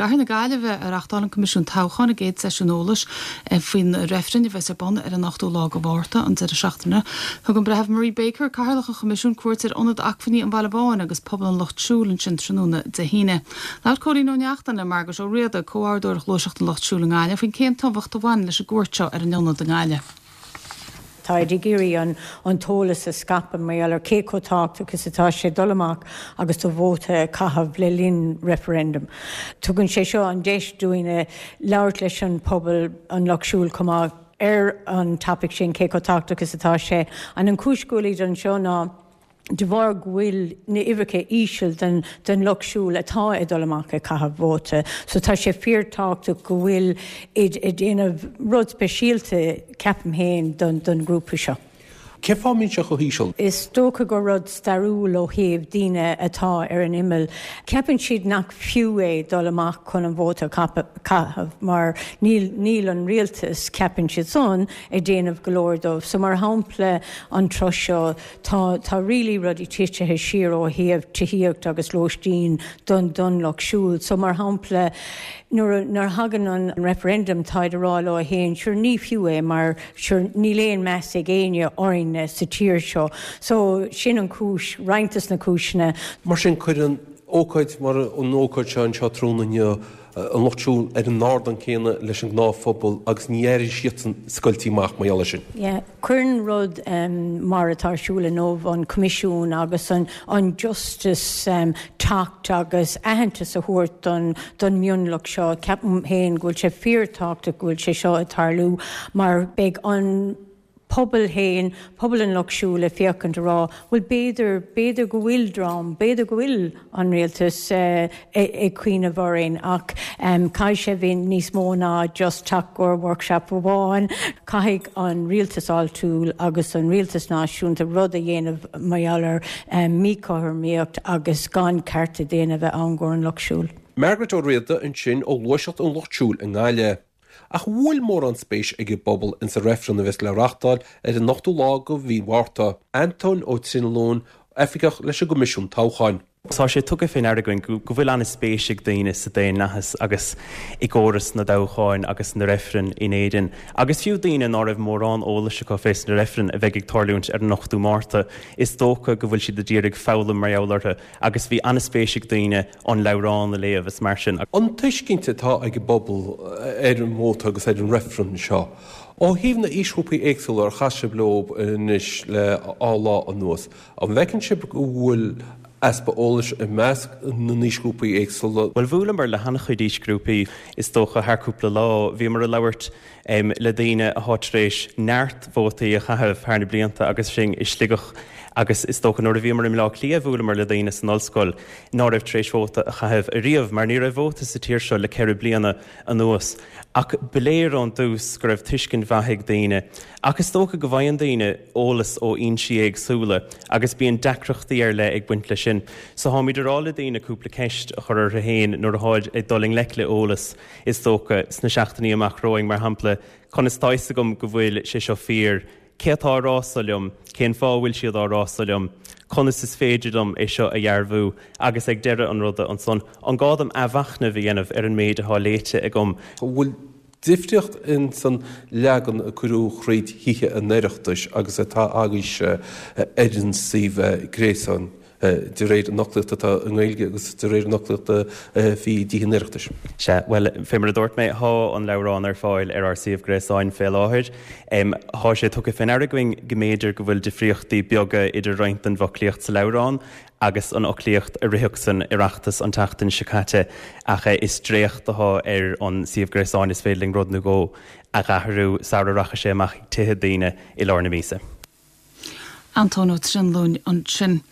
gcathair na Gaillimhe a reachtáil an Coimisiún Toghcháin a gcéad seisiún eolais faoin reifreann a bheas ar bun ar an 8ú lá de Mhárta, an deireadh seachtaine. Thug an Breitheamh Marie Baker, Cathaoirleach an Choimisiúin, cuairt ar Ionad Acmhainní an Bhaile Bháin agus Puball an Lucht Siúil ansin tráthnóna Dé hAoine. Labhair Cóilín Ó Neachtain le Margaret Ó Riada, Comhordaitheoir Ghluaiseacht an Lucht Siúil i nGaillimh, faoin cén tábhacht a bhaineann leis an gcuairt seo ar an ionad i nGaillimh. Táid ag iarraidh an t-eolas a scaipeadh mar gheall ar cé chomh tábhachtach is atá sé dul amach agus do vóta a chaitheamh le linn referendum. Tugann sé seo an deis dúinne labhairt leis an pobal, an Lucht Siúil chomh maith, ar an topaic sin, cé chomh tábhachtach is atá sé. And an chúis go bhfuilid anseo ná de bharr go bhfuil na huimhreacha íseal den den lucht siúil atá ag dul amach ag caitheamh vóta. So tá sé fíor tábhachtach go bhfuil id ag déanamh rud speisialta, ceapaim féin, don don ghrúpa seo. Cén fáth a mbíonn sé chomh híseal? Is dócha gur rud stairiúil ó thaobh daoine atá ar an imeall. Ceapann siad nach fiú é dul amach chun an vóta a chaitheamh mar níl níl an rialtas, ceapann siad san, ag déanamh go leor dóibh. So mar shampla an tráth seo Tá, tá really rudaí titithe siar ó thaobh tithíocht agus lóistín don, don lucht siúil. So mar shampla, nuair a, nuair a thagann an referendum táid a rá leo fhéin, sure ní fiú é mar sure níl aon meas ag éinne orainne sa tír seo. So sin an chúis, roinnt des na cúiseanna. Mar sin cuireann ócáid mar an ócáid seo anseo tráthnóna inniu an lucht siúil ar an ardán céanna leis an ngnáthphobal agus ní aireoidh siadsan scoiltí amach mar gheall air sin. Yeah. Cuireann rud mar atá ar siúl inniu, an Coimisiún agus an Justice teacht agus aitheantas a thabhairt don don mhionlach seo, ceapaim féin go bhfuil sé fíorthábhachtach go bhfuil sé seo ag tarlú mar beidh an pobal féin, pobal an Lucht Siúil ag féachaint a rá, bhuel b'fhéidir, b'fhéidir go bhfuil dream, b'fhéidir go bhfuil an rialtas ag cuimhneamh orainn ach caithfidh sé bheith níos mó ná just teacht go workshop amháin. Caithfidh an rialtas áitiúil agus an rialtas náisiúnta rud a dhéanamh mar gheall ar míchothromaíocht agus gan cearta daonna a bheith ann go an Lucht Siúil. Margaret Ó Riada ansin ó Ghluaiseacht an Lucht Siúil i nGaillimh. Ach an bhfuil mórán spéis ag an bpobal ins an reifreann a bheas le reachtáil ar an ochtú lá de mhí Mhárta? Antóin Ó Trinlúin, Oifigeach leis an gCoimisiún Toghcháin. Tá sé tugtha fé ndeara againn go bhfuil an-spéis ag daoine sa daonlathas agus i gcóras na dtoghcháin agus na reifreann in Éirinn, agus fiú daoine ná raibh mórán eolais acu fés na reifrinn a bheidh ag tarlúint ar an 8ú Márta, is dócha go bhfuil siad a d'iarraidh foghlaim mar gheall orthu agus bhí an-spéis ag daoine an leabhrán a léamh is mar sin. An tuiscint atá ag an bpobal ar an vóta agus ar an reifreann seo, ó thaobh na aoisghrúpaí éagsúla ar chas sibh leo anois le dhá lá anuas, an bhfeiceann sibh go bhfuil easpa eolais i measc na n-aoisghrúpaí éagsúla? Bhuel, bhuaileamar le han-chuid aoisghrúpaí, is dócha, thar cúpla lá. Bhíomar ag labhairt le daoine athá tar éis neart vótaí a chaitheamh thar na blianta agus sinn i Sligeach agus is dócha nuair a bhíomar i mBleá Cliath bhuaileamar le daoine san ollscoil ná raibh tar éis vóta a chaitheamh ariamh mar ní raibh vóta sa tír seo le 4 bliana anuas. Ach ba léir ón dtús go raibh tuiscint mhaith ag daoine. Ach is dócha go bhfaigheann daoine eolas ó fhoinsí éagsúla agus bíonn deacrachtaí ar leith ag baint leis sin. So tháimid a rá le daoine cúpla ceist a chur orthu féin nuair atháid ag dul i ngleic le eolas Is dócha, sna seachtainí amach romhainn, mar shampla, conas tá fhios agam go bhfuil sé seo fíor? Cé atá á rá so liom? Cén fáth a bhfuil siad á rá so liom? Conas is féidir liom é seo a dhearbhú? Agus ag deireadh an ruda ansan, an gá dom athmhachnamh a dhéanamh ar an méid atá léite agam? An bhfuil difríocht ins an leagan a cuireadh thríd Thithe an Oireachtais agus atá agaibhse ar an suíomh gréasáin? de réir an fhoclaíochta atá i nGaeilge agus de réir an fhoclaíochta a bhí i dTithe an Oireachtais. Sea, bhuel, fé mar a dúirt mé, thá an leabhrán ar fáil ar ár suíomh gréasáin fé láthair. Thá sé tugtha fé ndeara againn go mb'fhéidir go bhfuil difríochtaí beaga idir roinnt den bhfoclaíocht sa leabhrán agus an fhoclaíocht a ritheadh san Oireachtas an tseachtain seo caite ach is dréacht athá ar an suíomh gréasáin, is féidir linn rud nó dhó a dh'athrú sara rachaidh sé amach chuig tithe daoine i lár na míosa. Antóin Ó Trinlúin ansin.